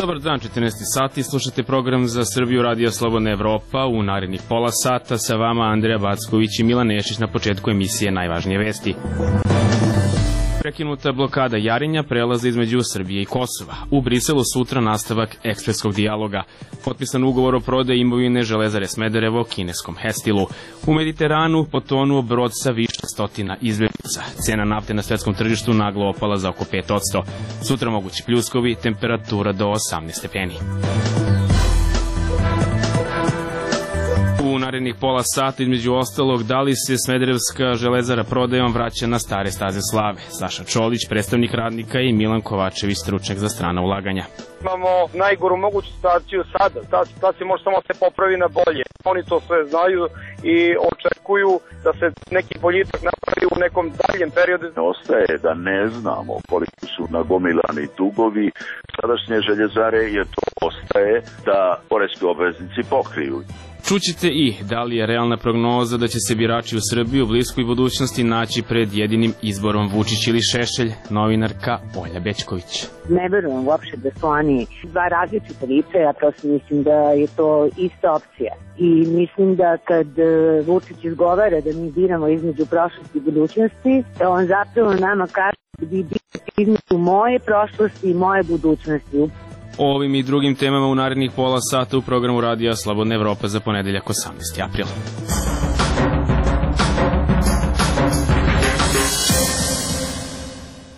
Dobar dan, 14 sati, slušate program za Srbiju Radio Slobodna Evropa. U narednih pola sata sa vama Andreja Backović i Milan Nešić. Na početku emisije najvažnije vesti. Prekinuta blokada Jarinja, prelaza između Srbije i Kosova. U Briselu sutra nastavak ekspresskog dijaloga. Potpisan ugovor o prodaji imovine Železare Smederevo kineskom Hestilu. U Mediteranu potonuo brod sa više stotina izbeglica. Cena nafte na svetskom tržištu naglo opala za oko 5%. Sutra mogući pljuskovi, temperatura do 18 stepeni. U narednih pola sata, između ostalog, da li se Smederevska železara prodajom vraća na stare staze slave. Saša Čolić, predstavnik radnika, i Milan Kovačević, stručnjak za strana ulaganja. Imamo najgoru moguću situaciju sada. Ta situacija može samo se popravi na bolje. Oni to sve znaju i očekuju da se neki boljitak napravi u nekom daljem periodu. Ostaje da ne znamo koliko su nagomilani dugovi sadašnje željezare, jer to ostaje da poreski obveznici pokriju. Čućete i da li je realna prognoza da će se birači u Srbiji u bliskoj budućnosti naći pred jedinim izborom Vučić ili Šešelj, novinarka Olja Bećković. Ne verujem uopšte da su oni dva različita lica, ja prosto mislim da je to ista opcija. I mislim da kad Vučić izgovara da mi biramo između prošlosti i budućnosti, da on zapravo nama kaže da bi birate između moje prošlosti i moje budućnosti. O ovim i drugim temama u narednih pola sata u programu Radija Slobodna Evropa za ponedeljak 18. april.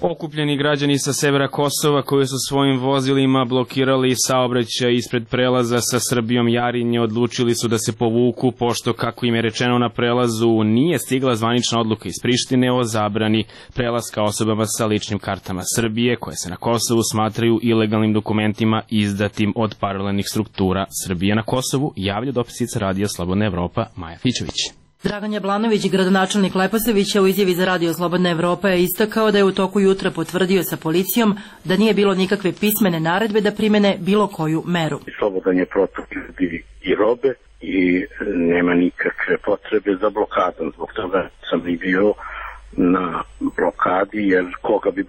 Okupljeni građani sa severa Kosova koji su svojim vozilima blokirali saobraćaj ispred prelaza sa Srbijom Jarinje odlučili su da se povuku, pošto, kako im je rečeno na prelazu, nije stigla zvanična odluka iz Prištine o zabrani prelaska osobama sa ličnim kartama Srbije, koje se na Kosovu smatraju ilegalnim dokumentima izdatim od paralelnih struktura Srbije na Kosovu, javlja dopisnica Radija Slobodna Evropa Maja Fićević. Dragan Jablanović, gradonačelnik Leposavića, u izjavi za Radio Slobodna Evropa je istakao da je u toku jutra potvrdio sa policijom da nije bilo nikakve pismene naredbe da primene bilo koju meru. Slobodan je protok ljudi i robe i nema nikakve potrebe za blokadom. Zbog toga sam i bio na blokadi, jer koga bi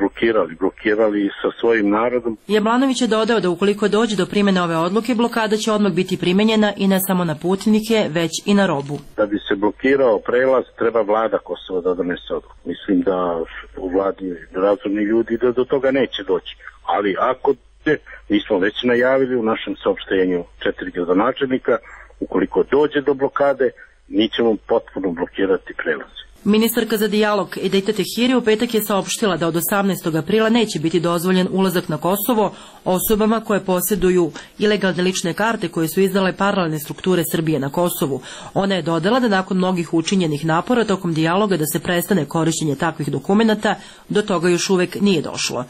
blokirali sa svojim narodom. Jablanović je dodao da ukoliko dođe do primjene ove odluke, blokada će odmah biti primenjena i ne samo na putnike, već i na robu. Da bi se blokirao prelaz, treba vlada Kosova da donese odluku. Mislim da u vladi razumni ljudi da do toga neće doći. Ali ako mi smo već najavili u našem saopštenju 4 gradonačelnika, ukoliko dođe do blokade, mi ćemo potpuno blokirati prelaz. Ministarka za dijalog Edita Tehiri u petak je saopštila da od 18. aprila neće biti dozvoljen ulazak na Kosovo osobama koje posjeduju ilegalne lične karte koje su izdale paralelne strukture Srbije na Kosovu. Ona je dodala da nakon mnogih učinjenih napora tokom dijaloga da se prestane korišćenje takvih dokumenata, do toga još uvek nije došlo.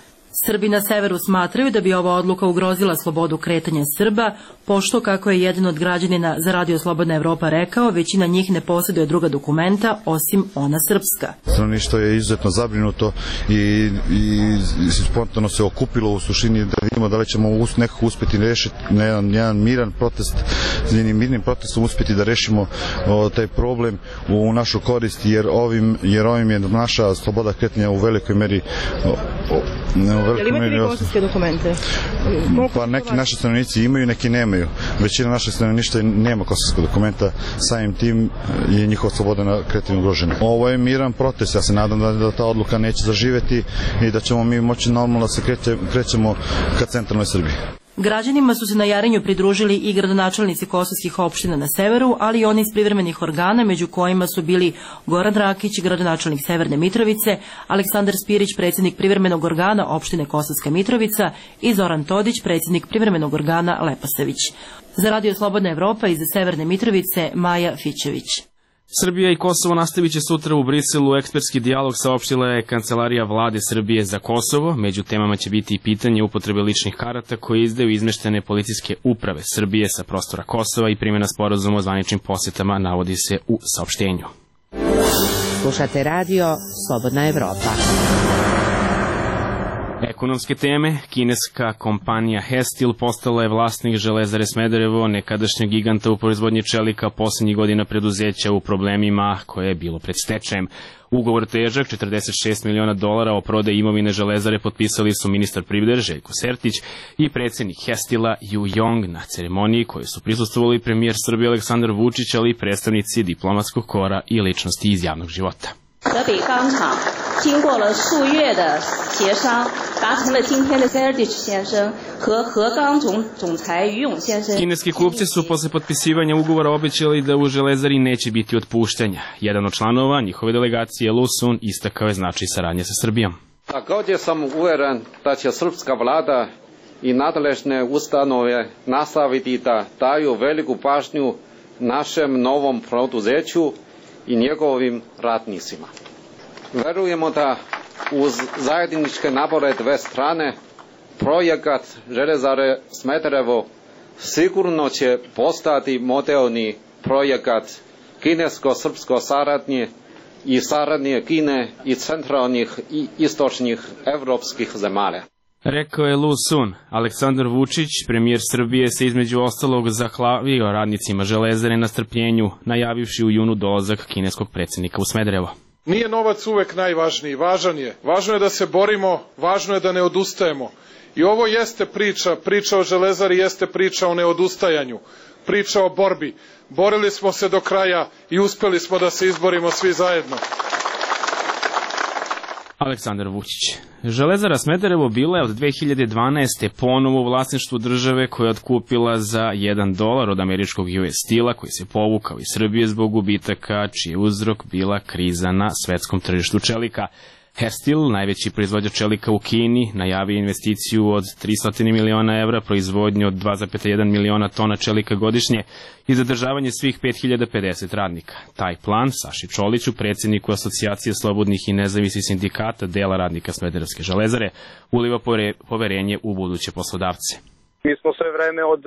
Srbi na severu smatraju da bi ova odluka ugrozila slobodu kretanja Srba, pošto, kako je jedan od građanina za Radio Slobodna Evropa rekao, većina njih ne posjeduje druga dokumenta osim ona srpska. Stanovništvo je izuzetno zabrinuto i spontano se okupilo u suštini da vidimo da li ćemo nekako uspjeti rešiti na jedan miran protest, jednim mirnim protestom uspjeti da rešimo taj problem u našu korist, jer ovim je naša sloboda kretanja u velikoj meri. Jel imate vi kosovske dokumente? Pa neki naši stanovnici imaju, neki nemaju. Većina naših stanovništva nema kosovskog dokumenta, samim tim je njihova sloboda kretanja ugrožena. Ovo je miran protest, ja se nadam da ta odluka neće zaživeti i da ćemo mi moći normalno da se krećemo ka centralnoj Srbiji. Građanima su se na Jarinju pridružili i gradonačelnici kosovskih opština na severu, ali i oni iz privremenih organa, među kojima su bili Goran Rakić, gradonačelnik Severne Mitrovice, Aleksandar Spirić, predsjednik privremenog organa opštine Kosovska Mitrovica i Zoran Todić, predsjednik privremenog organa Leposavić. Za Radio Slobodna Evropa iz Severne Mitrovice, Maja Fićević. Srbija i Kosovo nastavit će sutra u Briselu ekspertski dijalog, saopštila je Kancelarija vlade Srbije za Kosovo. Među temama će biti i pitanje upotrebe ličnih karata koje izdaju izmeštene policijske uprave Srbije sa prostora Kosova i primjena sporazuma o zvaničnim posjetama, navodi se u saopštenju. Slušate Radio Slobodna Evropa. Ekonomske teme, kineska kompanija Hestil postala je vlasnik Železare Smederevo, nekadašnjeg giganta u proizvodnji čelika, poslednjih godina preduzeća u problemima koje je bilo pred stečajem. Ugovor težak $46 miliona o prodaji imovine Železare potpisali su ministar privrede Željko Sertić i predsjednik Hestila Ju Jong na ceremoniji koju su prisustvovali premijer Srbije Aleksandar Vučić, ali i predstavnici diplomatskog kora i ličnosti iz javnog života. 河北钢厂经过了数月的协商，达成了今天的 Sertić 先生和河钢总裁于勇先生。 Kineski kupci su posle potpisivanja ugovora obećali da u Železari neće biti otpuštanja. Jedan od članova njihove delegacije, Lu Sun, istakao je značaj saradnje sa Srbijom. Također sam uveren da će srpska vlada i nadležne ustanove nastaviti da daju veliku pažnju našem novom preduzeću i njegovim radnicima. Verujemo da uz zajedničke napore dve strane projekat Železare Smederevo sigurno će postati modelni projekat kinesko-srpsko saradnje i saradnje Kine i centralnih i istočnih evropskih zemalja. Rekao je Lu Sun. Aleksandar Vučić, premijer Srbije, se između ostalog zahvalio radnicima Železare na strpljenju, najavivši u junu dolazak kineskog predsjednika u Smederevo. Nije novac uvek najvažniji, važan je. Važno je da se borimo, važno je da ne odustajemo. I ovo jeste priča o Železari jeste priča o neodustajanju, priča o borbi. Borili smo se do kraja i uspeli smo da se izborimo svi zajedno. Aleksandar Vučić. Železara Smederevo bila je od 2012. ponovo u vlasništvu države koja je otkupila za $1 od američkog US Steel-a koji se povukao iz Srbije zbog gubitaka, čiji je uzrok bila kriza na svetskom tržištu čelika. Hestil, najveći proizvođač čelika u Kini, najavio investiciju od $300 miliona, proizvodnju od 2,1 miliona tona čelika godišnje i zadržavanje svih 5050 radnika. Taj plan Saši Čoliću, predsjedniku Asocijacije slobodnih i nezavisnih sindikata dela radnika Smederevske železare, uliva poverenje u buduće poslodavce. Mi smo sve vreme od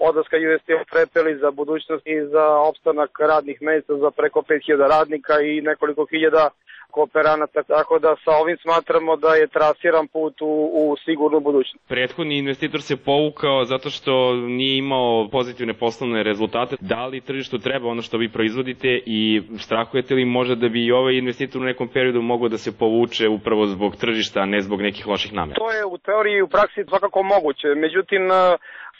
odlaska US Steel prepeli za budućnost i za opstanak radnih mesta za preko 5000 radnika i nekoliko hiljada kooperanata, tako da sa ovim smatramo da je trasiran put u sigurnu budućnost. Prethodni investitor se povukao zato što nije imao pozitivne poslovne rezultate. Da li tržištu treba ono što vi proizvodite i strahujete li možda da bi i ovaj investitor u nekom periodu mogao da se povuče upravo zbog tržišta, a ne zbog nekih loših namera? To je u teoriji i u praksi svakako moguće, međutim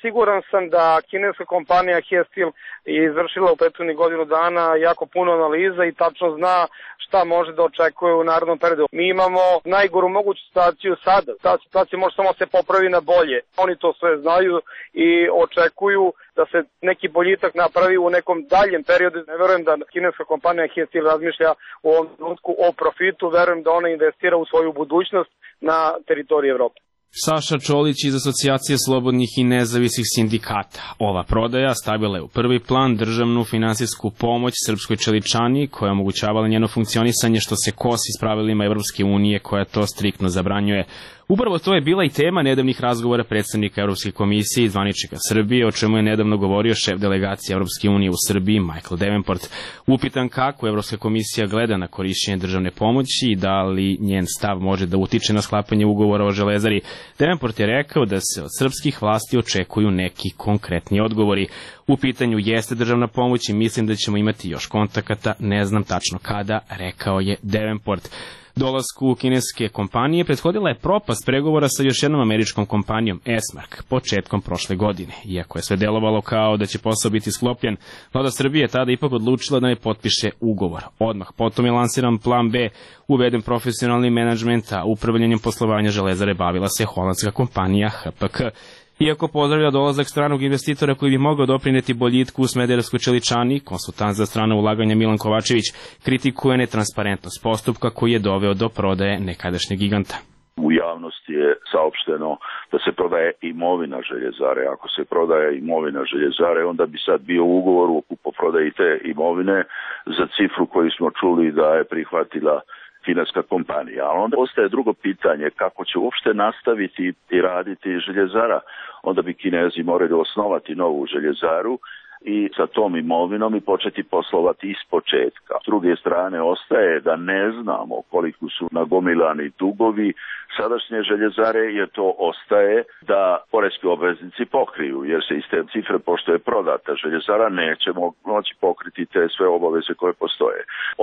siguran sam da kineska kompanija Hestil je izvršila u prethodnih godinu dana jako puno analiza i tačno zna šta može da očekuje u narednom periodu. Mi imamo najgoru moguću situaciju sada. Ta situacija može samo se popravi na bolje. Oni to sve znaju i očekuju da se neki boljitak napravi u nekom daljem periodu. Ne verujem da kineska kompanija Hestil razmišlja u ovom trenutku o profitu, verujem da ona investira u svoju budućnost na teritoriji Evrope. Saša Čolić iz Asocijacije slobodnih i nezavisnih sindikata. Ova prodaja stavila je u prvi plan državnu finansijsku pomoć srpskoj čeličani koja je omogućavala njeno funkcionisanje što se kosi s pravilima Evropske unije koja to striktno zabranjuje. Upravo to je bila i tema nedavnih razgovora predstavnika Evropske komisije i zvaničnika Srbije, o čemu je nedavno govorio šef delegacije Evropske unije u Srbiji Michael Davenport. Upitan kako Evropska komisija gleda na korišćenje državne pomoći i da li njen stav može da utiče na sklapanje ugovora o Železari, Davenport je rekao da se od srpskih vlasti očekuju neki konkretni odgovori. U pitanju jeste državna pomoć i mislim da ćemo imati još kontakata, ne znam tačno kada, rekao je Davenport. Dolasku kineske kompanije prethodila je propast pregovora sa još jednom američkom kompanijom Esmark početkom prošle godine. Iako je sve delovalo kao da će posao biti sklopljen, vlada Srbije je tada ipak odlučila da ne potpiše ugovor. Odmah potom je lansiran plan B, uveden profesionalni menadžment, a upravljanjem poslovanja Železare bavila se holandska kompanija HPK. Iako pozdravlja dolazak stranog investitora koji bi mogao doprineti boljitku u Smederevskoj čeličani, konsultant za strana ulaganja Milan Kovačević kritikuje netransparentnost postupka koji je doveo do prodaje nekadašnjeg giganta. U javnosti je saopšteno da se prodaje imovina Željezare. Ako se prodaje imovina Željezare, onda bi sad bio ugovor o kupoprodaji te imovine za cifru koju smo čuli da je prihvatila kineska kompanija. Ali onda ostaje drugo pitanje, kako će uopšte nastaviti i raditi Željezara. Onda bi Kinezi morali osnovati novu Željezaru, i sa tom imovinom i početi poslovati iz početka. S druge strane, ostaje da ne znamo koliko su nagomilani dugovi sadašnje željezare, jer to ostaje da poreski obveznici pokriju, jer se iz te cifre, pošto je prodata željezara, nećemo moći pokriti te sve obaveze koje postoje.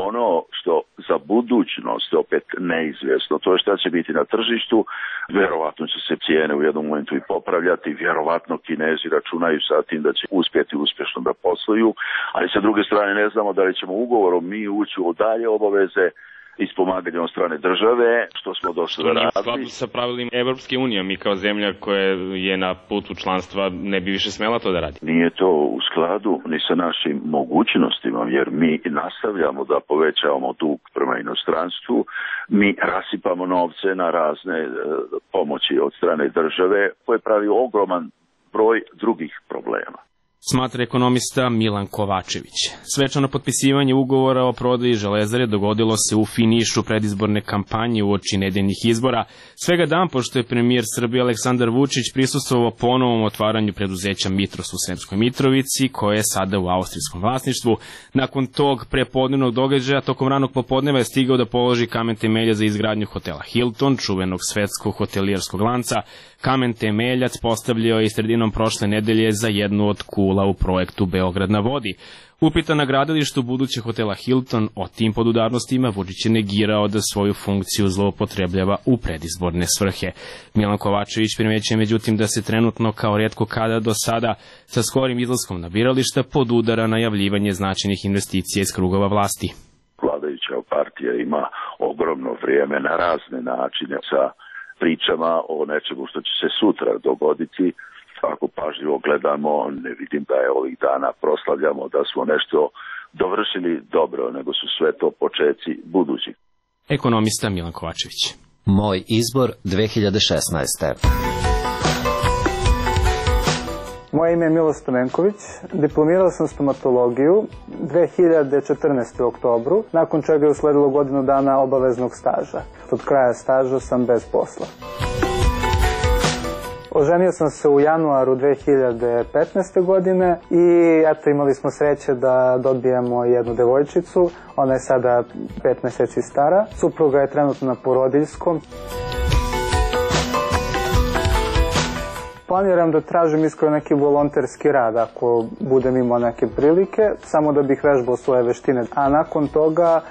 Ono što za budućnost je opet neizvjesno, to je šta će biti na tržištu, vjerovatno će se cijene u jednom momentu i popravljati, vjerovatno Kinezi računaju sa tim da će uspjeti uspješno da posluju, ali sa druge strane ne znamo da li ćemo ugovorom mi ući u dalje obaveze iz pomaganja od strane države, što smo došli da radili. U skladu sa pravilima Evropske unije, mi kao zemlja koja je na putu članstva ne bi više smela to da radi. Nije to u skladu ni sa našim mogućnostima, jer mi nastavljamo da povećavamo dug prema inostranstvu, mi rasipamo novce na razne pomoći od strane države, koje pravi ogroman broj drugih problema. Smatra ekonomista Milan Kovačević. Svečano potpisivanje ugovora o prodaji Železare dogodilo se u finišu predizborne kampanje uoči nedeljnih izbora, svega dan pošto je premijer Srbije Aleksandar Vučić prisustvovao ponovom otvaranju preduzeća Mitros u Sremskoj Mitrovici, koje je sada u austrijskom vlasništvu. Nakon tog prepodnevnog događaja, tokom ranog popodneva je stigao da položi kamen temelja za izgradnju hotela Hilton, čuvenog svetskog hotelijerskog lanca. Kamen temeljac postavljao je sredinom prošle nedelje za jednu od kula u projektu Beograd na vodi. Upitan na gradilištu budućeg hotela Hilton o tim podudarnostima, Vučić je negirao da svoju funkciju zloupotrebljava u predizborne svrhe. Milan Kovačević primećuje međutim da se trenutno kao rijetko kada do sada sa skorim izlaskom na birališta podudara najavljivanje značajnih investicija iz krugova vlasti. Vladajuća partija ima ogromno vrijeme na razne načine sa pričama o nečemu što će se sutra dogoditi. Ako pažljivo gledamo, ne vidim da je ovih dana proslavljamo da smo nešto dovršili dobro, nego su sve to počeci budući. Ekonomista Milan Kovačević. Moj izbor 2016. Moje ime je Milo Stamenković, diplomirao sam stomatologiju 2014. u oktobru, nakon čega je usledilo godinu dana obaveznog staža. Od kraja staža sam bez posla. Oženio sam se u januaru 2015. godine i eto, imali smo sreće da dobijemo jednu devojčicu, ona je sada 5 mjeseci stara, supruga je trenutno na porodiljskom. Planiram da tražim iskreno neki volonterski rad ako budem imao neke prilike, samo da bih vežbao svoje veštine. A nakon toga,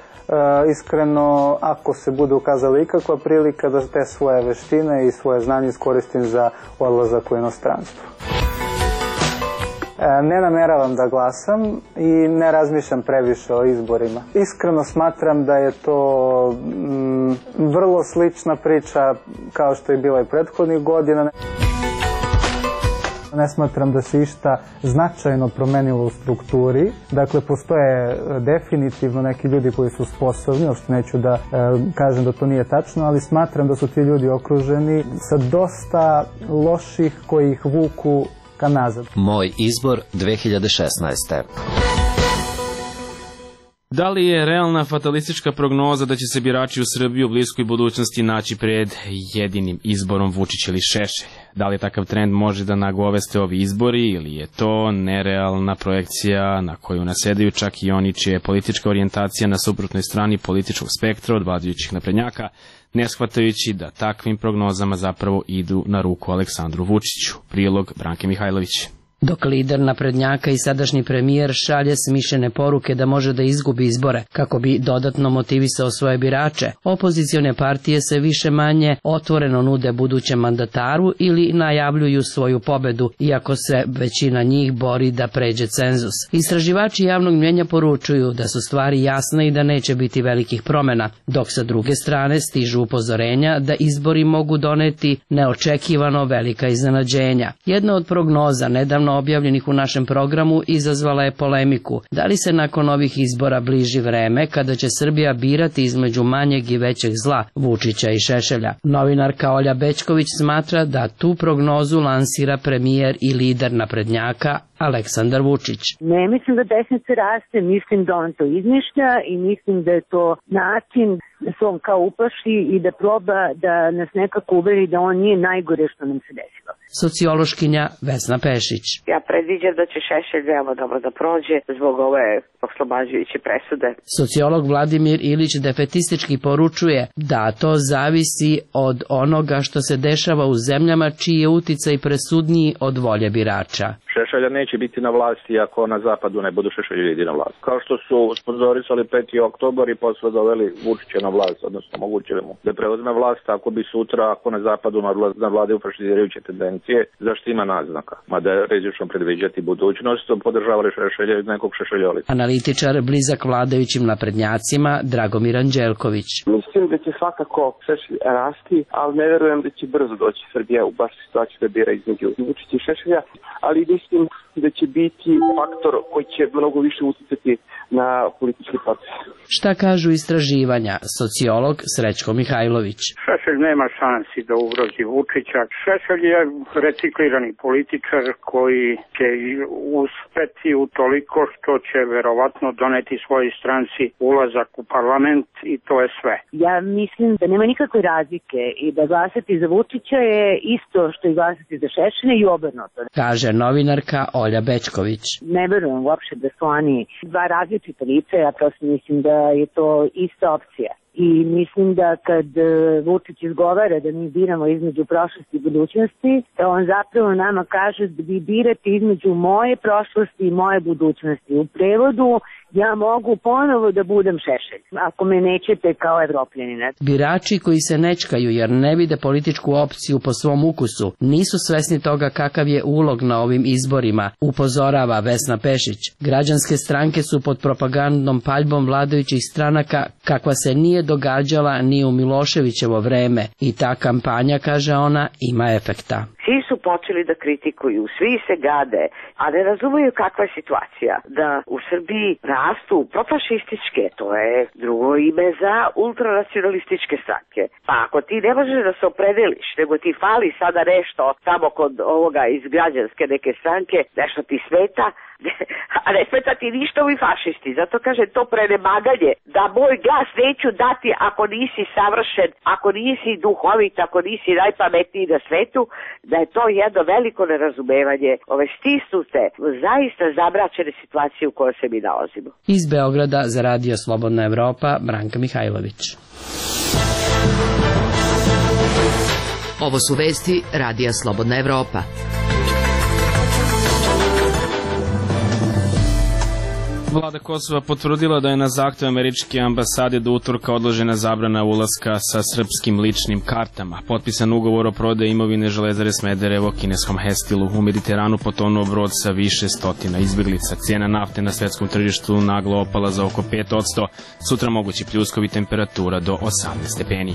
iskreno, ako se bude ukazala ikakva prilika da te svoje veštine i svoje znanje iskoristim za odlazak u inostranstvo. Ne nameravam da glasam i ne razmišljam previše o izborima. Iskreno smatram da je to vrlo slična priča kao što je bila i prethodnih godina. Ne smatram da se išta značajno promenilo u strukturi. Dakle, postoje definitivno neki ljudi koji su sposobni, uopšte neću da kažem da to nije tačno, ali smatram da su ti ljudi okruženi sa dosta loših koji ih vuku ka nazad. Moj izbor 2016. Da li je realna fatalistička prognoza da će se birači u Srbiji u bliskoj budućnosti naći pred jedinim izborom Vučić ili Šešelj? Da li takav trend može da nagoveste ovi izbori ili je to nerealna projekcija na koju nasedaju čak i oni čija je politička orijentacija na suprotnoj strani političkog spektra od vladajućih naprednjaka, ne shvatajući da takvim prognozama zapravo idu na ruku Aleksandru Vučiću? Prilog Branke Mihajlović. Dok lider naprednjaka i sadašnji premijer šalje smišljene poruke da može da izgubi izbore kako bi dodatno motivisao svoje birače, opozicione partije se više manje otvoreno nude budućem mandataru ili najavljuju svoju pobedu, iako se većina njih bori da pređe cenzus. Istraživači javnog mnjenja poručuju da su stvari jasne i da neće biti velikih promjena, dok sa druge strane stižu upozorenja da izbori mogu doneti neočekivano velika iznenađenja. Jedna od prognoza nedavno objavljenih u našem programu izazvala je polemiku. Da li se nakon ovih izbora bliži vreme kada će Srbija birati između manjeg i većeg zla, Vučića i Šešelja? Novinarka Olja Bećković smatra da tu prognozu lansira premijer i lider naprednjaka Aleksandar Vučić. Ne mislim da desnica raste, mislim da on to izmišlja i mislim da je to način se on kao uplaši i da proba da nas nekako uveri da on nije najgore što nam se desilo. Sociološkinja Vesna Pešić. Ja predviđam da će Šešelj veoma dobro da prođe zbog ove oslobađajuće presude. Sociolog Vladimir Ilić defetistički poručuje da to zavisi od onoga što se dešava u zemljama čiji je uticaj presudniji od volje birača. Šešelja neće biti na vlasti ako na zapadu ne budu Šešelji na vlast. Kao što su sponzorisali 5. oktobar i posle doveli Vučića na vlast, odnosno omogućili mu da preuzme vlast ako bi sutra, ako na zapadu nadvladaju fašizirajuće tendencije, zašto ima naznaka. Mada je rizično predviđati budućnost, podržavali Šešelja iz nekog Šešeljolita. Analitičar blizak vladajućim naprednjacima Dragomir Anđelković. Mislim da će svakako Šešelj rasti, ali ne verujem da će brzo doći Srbija u baš situaciju da bira između Vučića i Šešelja, ali mislim da će biti faktor koji će mnogo više uticati na politički proces. Šta kažu istraživanja? Sociolog Srećko Mihajlović. Šešelj nema šansi da ugrozi Vučića. Šešelj je reciklirani političar koji će uspeti u toliko što će verovatno doneti svojoj stranci ulazak u parlament i to je sve. Ja mislim da nema nikakve razlike i da glasati za Vučića je isto što i glasati za Šešelja i obrnuto. Kaže novinarka Olja Bečković. Ne verujem uopšte da su oni dva različita lica, ja prosto mislim da je to ista opcija. I mislim da kad Vučić izgovara da mi biramo između prošlosti i budućnosti, on zapravo nama kaže da vi birate između moje prošlosti i moje budućnosti. U prevodu, ja mogu ponovo da budem Šešelj, ako me nećete kao Evropljanina. Birači koji se nečkaju jer ne vide političku opciju po svom ukusu, nisu svesni toga kakav je ulog na ovim izborima, upozorava Vesna Pešić. Građanske stranke su pod propagandnom paljbom vladajućih stranaka kakva se nije događala ni u Miloševićevo vreme i ta kampanja, kaže ona, ima efekta. Svi su počeli da kritikuju, svi se gade, a ne razumeju kakva je situacija. Da u Srbiji rastu profašističke, to je drugo ime za ultranacionalističke stranke. Pa ako ti ne možeš da se opredeliš, nego ti fali sada nešto tamo kod ovoga iz građanske neke stranke, nešto ti smeta, a ne smeta ti ništa ovi fašisti. Zato kaže to prenemaganje, da moj glas neću dati ako nisi savršen, ako nisi duhovit, ako nisi najpametniji na svetu, da je to jedno veliko nerazumevanje ove stisnute, zaista zamračene situacije u kojoj se mi nalazimo. Iz Beograda za Radio Slobodna Evropa, Branka Mihajlović. Ovo su vesti Radija Slobodna Evropa. Vlada Kosova potvrdila da je na zahtev američke ambasade do utorka odložena zabrana ulaska sa srpskim ličnim kartama. Potpisan ugovor o prodaji imovine Železare Smederevo kineskom Hestilu. U Mediteranu potonuo brod sa više stotina izbeglica. Cijena nafte na svetskom tržištu naglo opala za oko 5%. Sutra mogući pljuskovi, temperatura do 18 stepeni.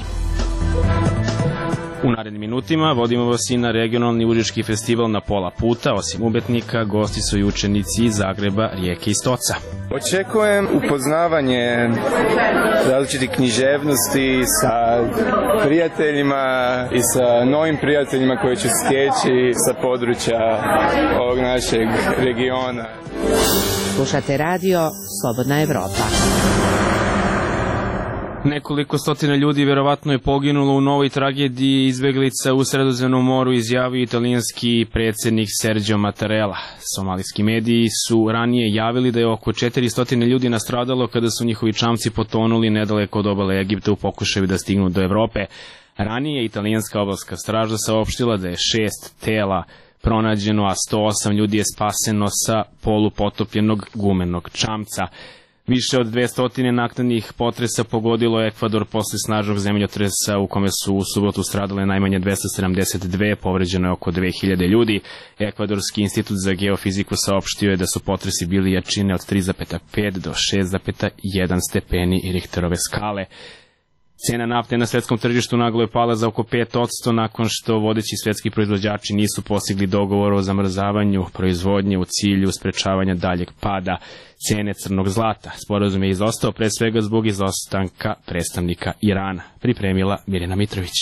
U narednim minutima vodimo vas i na regionalni užički festival na pola puta. Osim umetnika, gosti su i učenici iz Zagreba, Rijeke i Stoca. Očekujem upoznavanje različitih književnosti sa prijateljima i sa novim prijateljima koji ću stječi sa područja ovog našeg regiona. Slušate radio Slobodna Evropa. Nekoliko stotina ljudi verovatno je poginulo u novoj tragediji izbeglica u Sredozemnom moru, izjavio italijanski predsjednik Sergio Mattarella. Somalijski mediji su ranije javili da je oko 400 ljudi nastradalo kada su njihovi čamci potonuli nedaleko od obale Egipta u pokušaju da stignu do Evrope. Ranije italijanska obalska straža saopštila da je 6 tela pronađeno, a 108 ljudi je spaseno sa polupotopljenog gumenog čamca. Više od 200 naknadnih potresa pogodilo Ekvador posle snažnog zemljotresa u kome su u subotu stradale najmanje 272, povređeno je oko 2000 ljudi. Ekvadorski institut za geofiziku saopštio je da su potresi bili jačine od 3,5 do 6,1 stepeni Richterove skale. Cena nafte na svetskom tržištu naglo je pala za oko 5% nakon što vodeći svetski proizvođači nisu postigli dogovor o zamrzavanju proizvodnje u cilju sprečavanja daljeg pada cene crnog zlata. Sporazum je izostao pre svega zbog izostanka predstavnika Irana. Pripremila Mirjana Mitrović.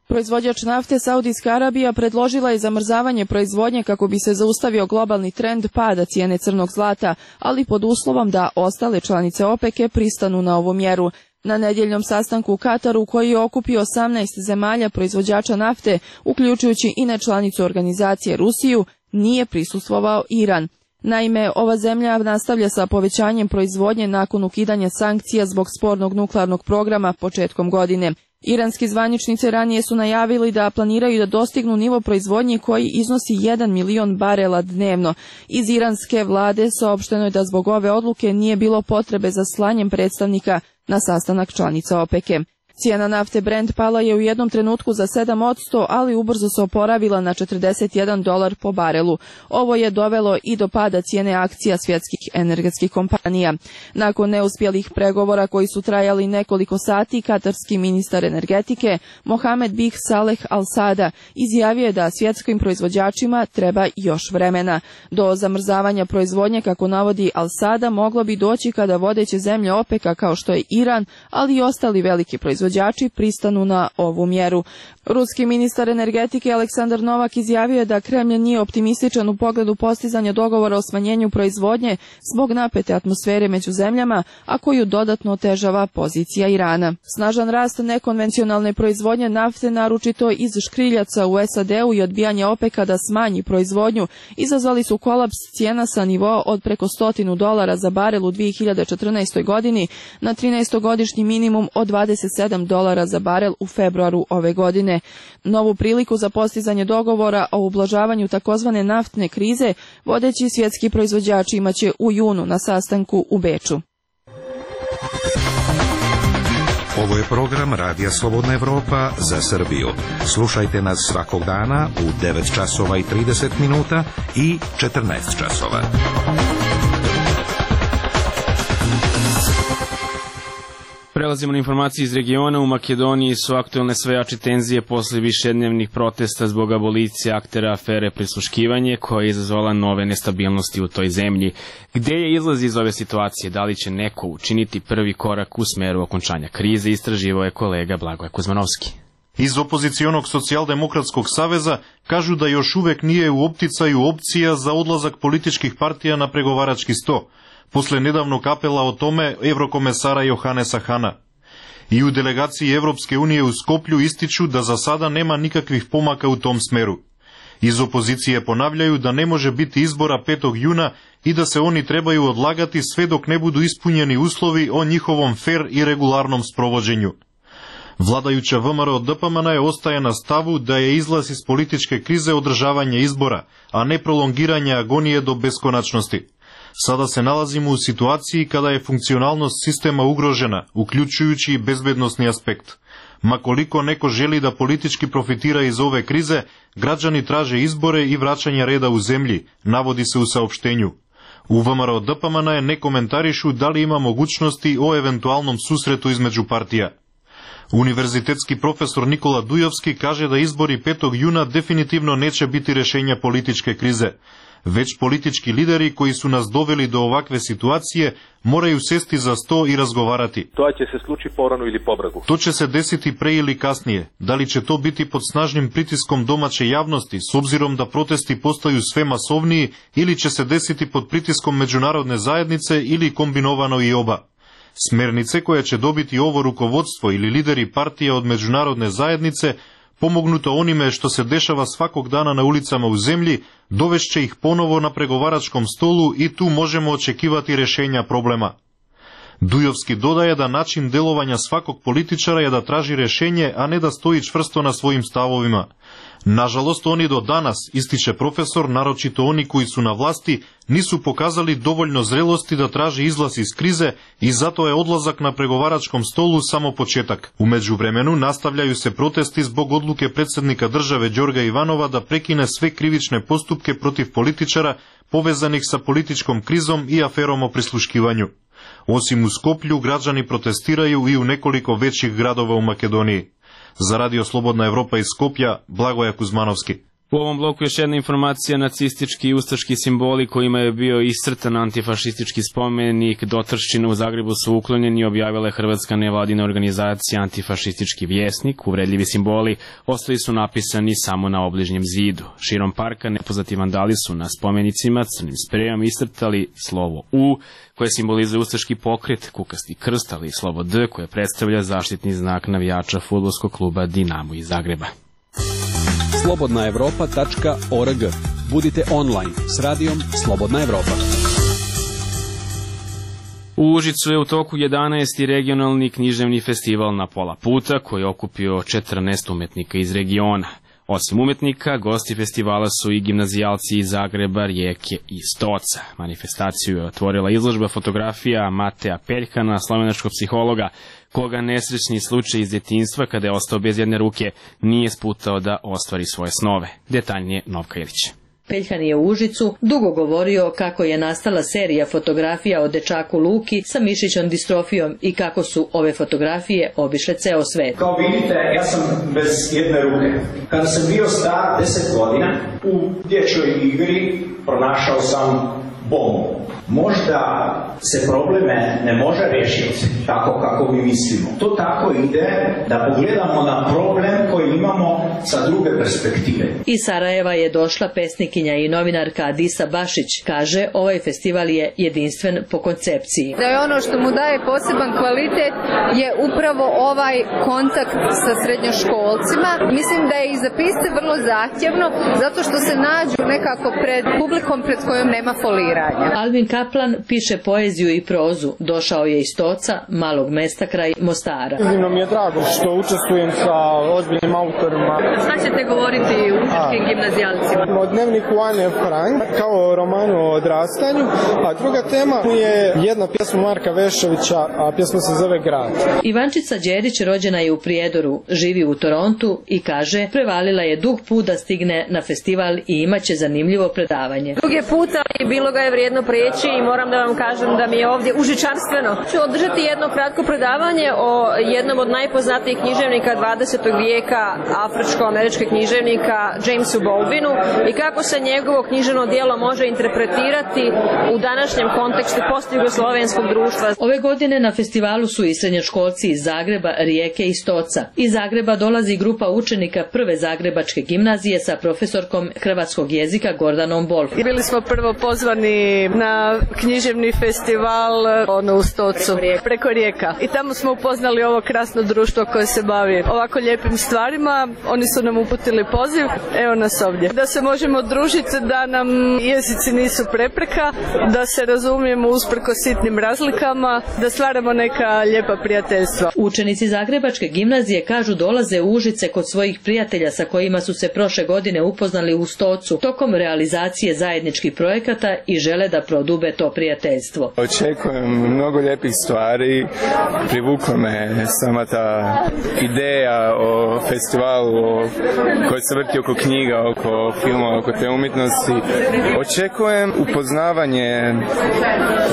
Proizvođač nafte Saudijska Arabija predložila je zamrzavanje proizvodnje kako bi se zaustavio globalni trend pada cijene crnog zlata, ali pod uslovom da ostale članice OPEC-e pristanu na ovu mjeru. Na nedjeljnom sastanku u Kataru, koji je okupio 18 zemalja proizvođača nafte, uključujući i nečlanicu organizacije Rusiju, nije prisustvovao Iran. Naime, ova zemlja nastavlja sa povećanjem proizvodnje nakon ukidanja sankcija zbog spornog nuklearnog programa početkom godine. Iranski zvaničnici ranije su najavili da planiraju da dostignu nivo proizvodnje koji iznosi 1 milion barela dnevno. Iz iranske vlade saopšteno je da zbog ove odluke nije bilo potrebe za slanjem predstavnika na sastanak članica OPEC-e. Cijena nafte Brent pala je u jednom trenutku za 7%, ali ubrzo se oporavila na $41 po barelu. Ovo je dovelo i do pada cijene akcija svjetskih energetskih kompanija. Nakon neuspjelih pregovora koji su trajali nekoliko sati, katarski ministar energetike Mohamed Bih Saleh Al-Sada izjavio je da svjetskim proizvođačima treba još vremena. Do zamrzavanja proizvodnje, kako navodi Al-Sada, moglo bi doći kada vodeće zemlje OPEC-a kao što je Iran, ali i ostali veliki proizvođači pristanu na ovu mjeru. Ruski ministar energetike Aleksandar Novak izjavio je da Kremlj nije optimističan u pogledu postizanja dogovora o smanjenju proizvodnje zbog napete atmosfere među zemljama, a koju dodatno otežava pozicija Irana. Snažan rast nekonvencionalne proizvodnje nafte, naročito iz škriljaca u SAD-u, i odbijanje OPEC-a da smanji proizvodnju izazvali su kolaps cijena sa nivoa od preko $100 za barel u 2014. godini na 13-godišnji minimum od $27 za barel u februaru ove godine. Novu priliku za postizanje dogovora o ublažavanju takozvane naftne krize vodeći svjetski proizvođači imaće u junu na sastanku u Beču. Ovo je program Radija Slobodna Evropa za Srbiju. Slušajte nas svakog dana u 9 časova i 30 minuta i 14 časova. Prelazimo na informacije iz regiona. U Makedoniji su aktuelne sve jače tenzije posle višednevnih protesta zbog abolicije aktera afere prisluškivanje, koja je izazvala nove nestabilnosti u toj zemlji. Gde je izlaz iz ove situacije? Da li će neko učiniti prvi korak u smeru okončanja krize? Istraživao je kolega Blagoje Kuzmanovski. Iz opozicionog socijaldemokratskog saveza kažu da još uvek nije u opticaju opcija za odlazak političkih partija na pregovarački sto, posle nedavnog apela o tome evrokomesara Johanesa Hana. I u delegaciji Evropske unije u Skoplju ističu da za sada nema nikakvih pomaka u tom smeru. Iz opozicije ponavljaju da ne može biti izbora 5. juna i da se oni trebaju odlagati sve dok ne budu ispunjeni uslovi o njihovom fer i regularnom sprovođenju. Vladajuća VMRO DPMN ostaje na stavu da je izlaz iz političke krize održavanje izbora, a ne prolongiranje agonije do beskonačnosti. Sada se nalazimo u situaciji kada je funkcionalnost sistema ugrožena, uključujući i bezbednosni aspekt. Ma koliko neko želi da politički profitira iz ove krize, građani traže izbore i vraćanje reda u zemlji, navodi se u saopštenju. U VMRO DPMN ne komentarišu da li ima mogućnosti o eventualnom susretu između partija. Univerzitetski profesor Nikola Dujovski kaže da izbori 5. juna definitivno neće biti rešenja političke krize, već politički lideri koji su nas doveli do ovakve situacije moraju sesti za sto i razgovarati. To će se slučiti porano ili pobregu. To će se desiti pre ili kasnije. Da li će to biti pod snažnim pritiskom domaće javnosti, s obzirom da protesti postaju sve masovniji, ili će se desiti pod pritiskom međunarodne zajednice, ili kombinovano i oba. Smernice koje će dobiti ovo rukovodstvo ili lideri partija od međunarodne zajednice, pomognuto onime što se dešava svakog dana na ulicama u zemlji, dovešće ih ponovo na pregovaračkom stolu i tu možemo očekivati rešenja problema. Dujovski dodaje da način delovanja svakog političara je da traži rešenje, a ne da stoji čvrsto na svojim stavovima. Nažalost, oni do danas, ističe profesor, naročito oni koji su na vlasti, nisu pokazali dovoljno zrelosti da traže izlaz iz krize i zato je odlazak na pregovaračkom stolu samo početak. U međuvremenu nastavljaju se protesti zbog odluke predsjednika države Đorga Ivanova da prekine sve krivične postupke protiv političara povezanih sa političkom krizom i aferom o prisluškivanju. Osim u Skoplju, građani protestiraju i u nekoliko većih gradova u Makedoniji. Za Radio Slobodna Evropa iz Skoplja, Blagoje Kuzmanovski. U ovom bloku još jedna informacija: nacistički i ustaški simboli kojima je bio iscrtan antifašistički spomenik Dotrščina u Zagrebu su uklonjeni, objavila je hrvatska nevladina organizacija Antifašistički vjesnik. Uvredljivi simboli ostali su napisani samo na obližnjem zidu. Širom parka nepoznati vandali su na spomenicima crnim sprejom iscrtali slovo U, koje simbolizuje ustaški pokret, kukasti krst, ali i slovo D, koje predstavlja zaštitni znak navijača fudbalskog kluba Dinamo iz Zagreba. slobodnaevropa.org. Budite online s radijom Slobodna Evropa. U Užicu je u toku 11. regionalni književni festival Na pola puta, koji je okupio 14 umetnika iz regiona. Osim umetnika, gosti festivala su i gimnazijalci iz Zagreba, Rijeke i Stoca. Manifestaciju je otvorila izložba fotografija Mateja Peljhana, slovenačkog psihologa, koga nesrećni slučaj iz djetinjstva, kada je ostao bez jedne ruke, nije sputao da ostvari svoje snove. Detaljnije Novka Ilić. Peljhan je u Užicu dugo govorio kako je nastala serija fotografija o dečaku Luki sa mišićnom distrofijom i kako su ove fotografije obišle ceo svet. Kao vidite, ja sam bez jedne ruke. Kada sam bio star 10 godina, u dječjoj igri pronašao sam bombu. Možda se probleme ne može riješiti tako kako mi mislimo. To tako ide da pogledamo na problem koji imamo sa druge perspektive. Iz Sarajeva je došla pesnikinja i novinarka Adisa Bašić. Kaže, ovaj festival je jedinstven po koncepciji. Da je ono što mu daje poseban kvalitet je upravo ovaj kontakt sa srednjoškolcima. Mislim da je i za piste vrlo zahtjevno, zato što se nađu nekako pred publikom pred kojom nema foliranja. Alvin Kaplan piše poeziju i prozu. Došao je iz Stoca, malog mesta kraj Mostara. Iznimno mi je drago što učestvujem sa ozbiljnim autorima. Šta ćete govoriti užičkim gimnazijalcima? O dnevniku Ane Frank, kao romanu o odrastanju, a druga tema je jedna pjesma Marka Vešovića, a pjesma se zove Grad. Ivančica Đerić rođena je u Prijedoru, živi u Torontu i kaže, prevalila je dug put da stigne na festival i imaće zanimljivo predavanje. Dug je put, ali bilo ga je vrijedno prijeći i moram da vam kažem da mi je ovdje užičarstveno. Ću održati jedno kratko predavanje o jednom od najpoznatijih književnika 20. vijeka, afričko-američkog književnika Jamesu Baldwinu i kako se njegovo književno djelo može interpretirati u današnjem kontekstu postjugoslovenskog društva. Ove godine na festivalu su i srednjoškolci iz Zagreba, Rijeke i Stoca. Iz Zagreba dolazi grupa učenika prve zagrebačke gimnazije sa profesorkom hrvatskog jezika Gordanom Bolf. Bili smo prvo pozvani na književni festival u Stocu, preko rijeka. I tamo smo upoznali ovo krasno društvo koje se bavi ovako lijepim stvarima. Oni su nam uputili poziv, evo nas ovdje. Da se možemo družiti, da nam jezici nisu prepreka, da se razumijemo usprkos sitnim razlikama, da stvaramo neka lijepa prijateljstva. Učenici Zagrebačke gimnazije kažu dolaze u Užice kod svojih prijatelja sa kojima su se prošle godine upoznali u Stocu tokom realizacije zajedničkih projekata i žele da prodube to prijateljstvo. Očekujem mnogo lijepih stvari, privukla me sama ta ideja o festivalu koji se vrti oko knjiga, oko filma, oko te umjetnosti. Očekujem upoznavanje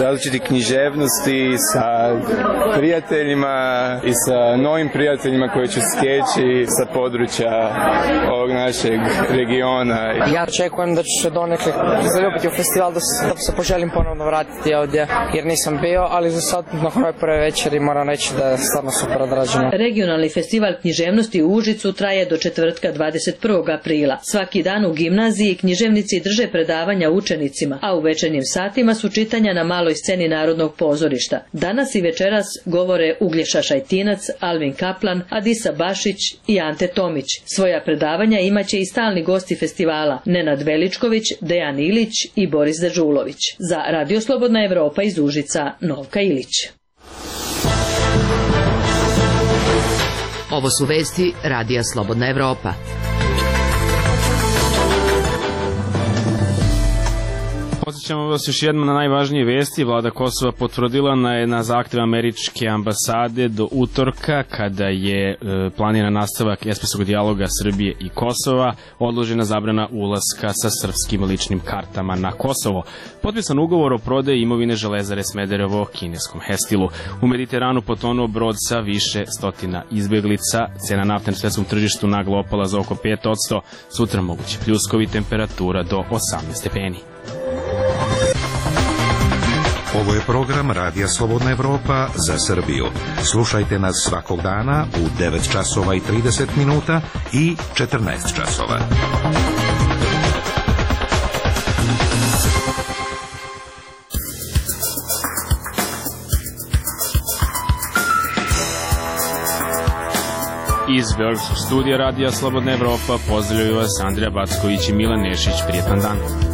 različitih književnosti sa prijateljima i sa novim prijateljima koji će stječi sa područja ovog našeg regiona. Ja očekujem da ću se donekle zaljubiti u festival, da se poželim ponovno vratiti ovdje, jer nisam bio, ali za sad nakon ove prve večeri moram reći da je stvarno super odrađeno. Regionalni festival književnosti u Užicu traje do četvrtka 21. aprila. Svaki dan u gimnaziji književnici drže predavanja učenicima, a u večernjim satima su čitanja na maloj sceni Narodnog pozorišta. Danas i večeras govore Uglješa Šajtinac, Alvin Kaplan, Adisa Bašić i Ante Tomić. Svoja predavanja imaće i stalni gosti festivala Nenad Veličković, Dejan Ilić i Boris Dežulović. Za Radio Slobodna Evropa iz Užica, Novka Ilić. Ovo su vesti Radija Slobodna Evropa. Podsjećamo vas još jednom na najvažnije vesti. Vlada Kosova potvrdila na zahtev američke ambasade do utorka, kada je planiran nastavak espresovog dijaloga Srbije i Kosova, odložena zabrana ulaska sa srpskim ličnim kartama na Kosovo. Potpisan ugovor o prodaji imovine Železare Smederevo kineskom Hestilu. U Mediteranu potonuo brod sa više stotina izbeglica. Cena nafte na svetskom tržištu naglo opala za oko 5%. Sutra moguće pljuskovi, temperatura do 18 stepeni. Ovo je program Radija Slobodna Evropa za Srbiju. Slušajte nas svakog dana u 9 časova i 30 minuta i 14 časova. Iz Beogradskog studija Radija Slobodna Evropa pozdravljaju vas Andrija Backović i Milan Nešić. Prijetan dan.